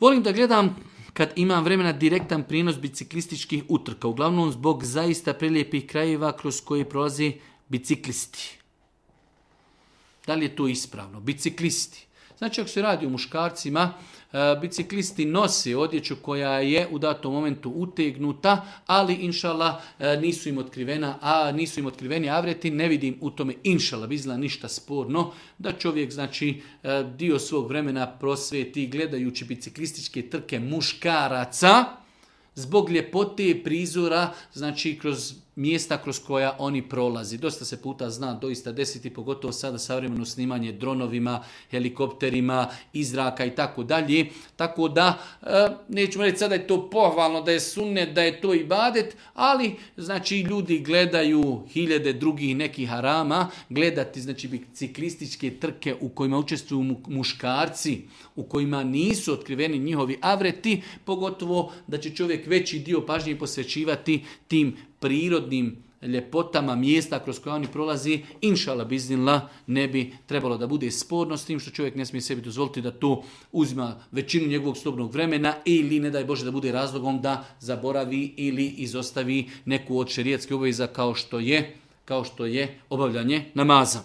Volim da gledam kad imam vremena direktan prijenos biciklističkih utrka, uglavnom zbog zaista prelijepih krajeva kroz koje prolaze biciklisti. Da li je to ispravno? Biciklisti. Znači, ako se radi o muškarcima, biciklisti nose odjeću koja je u datom momentu utegnuta, ali inšala nisu im otkriveni avreti, ne vidim u tome inšala bizla ništa sporno, da čovjek znači dio svog vremena prosvjeti gledajući biciklističke trke muškaraca, zbog ljepote prizora, znači kroz mjesta kroz koja oni prolazi. Dosta se puta zna doista desiti, pogotovo sada savremeno snimanje dronovima, helikopterima, iz zraka i tako dalje. Tako da, nećemo reći sada je to pohvalno, da je sunnet, da je to ibadet, ali znači ljudi gledaju hiljade drugih nekih harama, gledati znači biciklističke trke u kojima učestvuju muškarci, u kojima nisu otkriveni njihovi avreti, pogotovo da će čovjek veći dio pažnje posvećivati tim prirodnim ljepotama mjesta kroz koje oni prolazi, inšala biznila ne bi trebalo da bude sporno, s tim što čovjek ne smije sebi dozvoliti da to uzima većinu njegovog slobodnog vremena ili ne daj Bože da bude razlogom da zaboravi ili izostavi neku od šerijetskih obaveza kao što je obavljanje namaza.